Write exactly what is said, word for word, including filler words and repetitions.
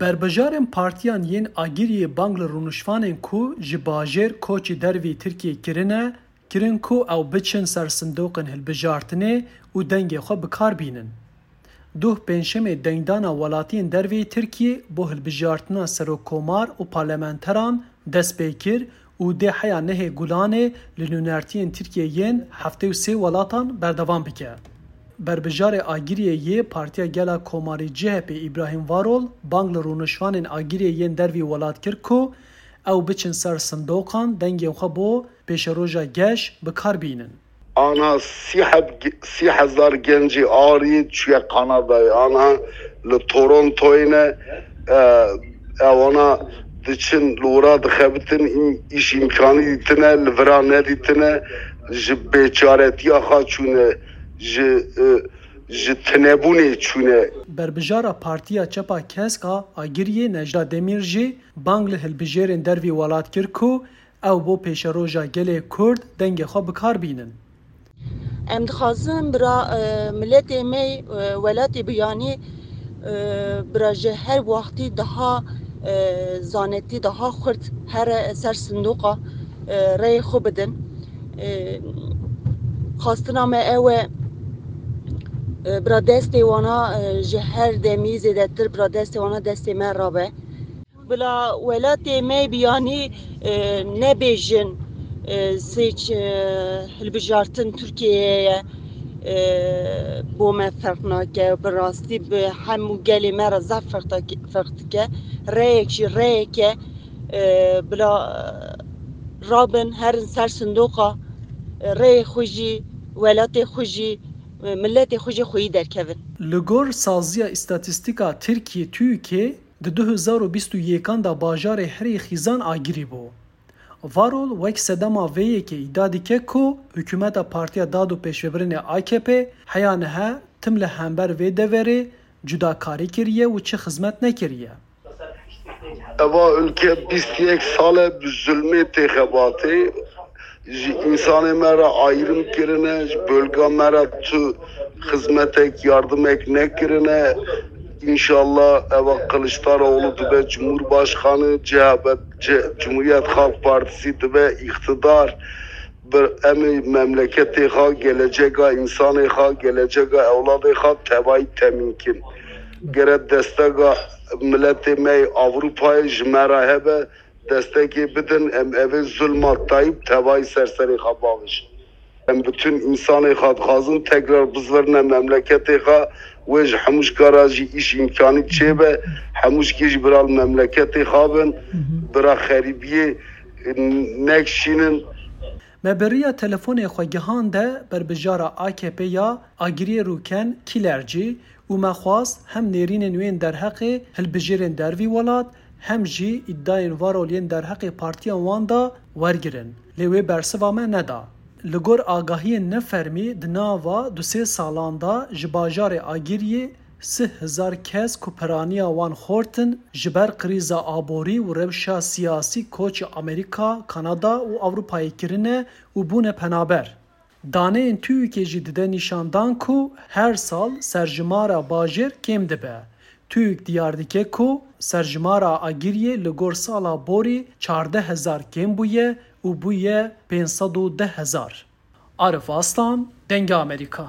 Berbijarên partiyan yên Agiriyê bang li rûnişvanên ku ji bajêr koçî dervî Tirkiyê kirine, kirin ku ew biçin ser sindoqên hilbijartinê û dengê xwe bi kar bînin. Duh Pêncşemê dengdana welatiyên derveyî Tirkiyê bo hilbijartina serokkomar û parlamenteran dest pê kir û dê heya nehê Gulanê li nûnertiyên Tirkiyê yên heftê û sê welatan berdewam bike. Berbijarê Agiriyê yê Partiya Gela Komarî C H P Îbrahîm Varol bang li rûnişvanên Agiriyê yên dervî welat kir ku ew biçin ser sindoqan dengên xwe bo pêşeroja geş bi kar bînin. Ana sî heb, sî hezar gencê arî çûye Kanadayê. Ana li Torontoyê ne, e, ewana diçin li wira dixebitin, îş îmkanî dîtine, li vira nedîtine, ji bêçaretiya xwe çûne, ji, e, ji tinebûnê çûne. Berbijara Partiya Çepa Kesk a Agiriyê Necda Demîr jî bang li hilbijêrên dervî welat kir ku ew bo pêşeroja gelê Kurd dengê xwe bi kar bînin. Em dixwazin bira, e, miletê me, e, welatê biyanî, e, bira ji her wextî daha, e, zanetî, daha xurt here ser sindoqa, e, reyê xwe bidin. E, xwestina me ew e, e, bira destê wana, e, ji her demî zêdetir bira destê wana destê me rabe. Bila welatê me biyanî, e, nebêjin, e, sêç, e, hilbijartin Tirkiyeyê ye, e, bo me ferq nake. Bi rastî bi hemû gelê me re zaf ferq tak-, ferq dike. Reyek jî reyek e, e, bila rabin herin ser sindoqa, e, reyê xwe jî, welatê xwe jî, e, miletê xwe jî xweyî derkevin. Li gor Saziya Îstatîstîka Tirkiyê, TÜİKê, di du hezar û bîst û yekan de bajarê herî xîzan agirî bû. Varol wek sedema vê yekê îdia dike ku hikûmeta Partiya Dad û Pêşvebirinê A K P heya niha tim li hember vê deverê cudakarî kiriye û çi xizmet nekiriye. Eva ülke bîst yek sal e bi zulmê tê xebatê. Ji însanê me re ayrım kirine, ji bölga me re tu xizmetek, yardimek nekirine. İnşallah eva Kılıçdaroğlu dibe Cumhurbaşkanı, C H P, C-, Cumhuriyet Halk Partisi dibe iktidar. Bir em ê memleketê xwe, geleceka însanê xwe, geleceka ewladê xwe tevayî temîn kin. Gere destega miletê me yê Avrupayê ji me re hebe, destekê bidin, em evê zulma Tayyip tevayî ser serê xwe bavêjin. Em bütün însanê xwe dixwazin tekrar bizverine memleketê xwe, wê ji hemû şikara jî îş îmkanî çêbe, hemû şikê jî bira li memleketê xwe bin, bira xerîbiyê nekşînin. Me bi riya telefonê xwe gihande berbijara A K P ya Agiriyê Rûken Kîlercî û me xwest hem nêrînên wê yên derheqê hilbijêrên dervî welat, hem jî îdayên Varol yên derheqê partiya wan de wergirin, lê wê bersiva me neda. Li gor agahiyên nefermî, di nava du sê salan de ji bajarê Agiriyê sih hezar kes ku piraniya wan xort in, ji ber krîza aborî û rewşa siyasî koçî Amerîka, Kanada û Ewropayê kirine û bûne penaber. Daneyên TÜİKê jî dide nîşandan ku her sal serjimara bajêr kêm dibe. TÜİK diyar dike ku serjimara Agiriyê li gor sala borî çardeh hezar kêm bûye û bûye pênc sed û deh hezar. Arif Aslan, Dengê Amerîka.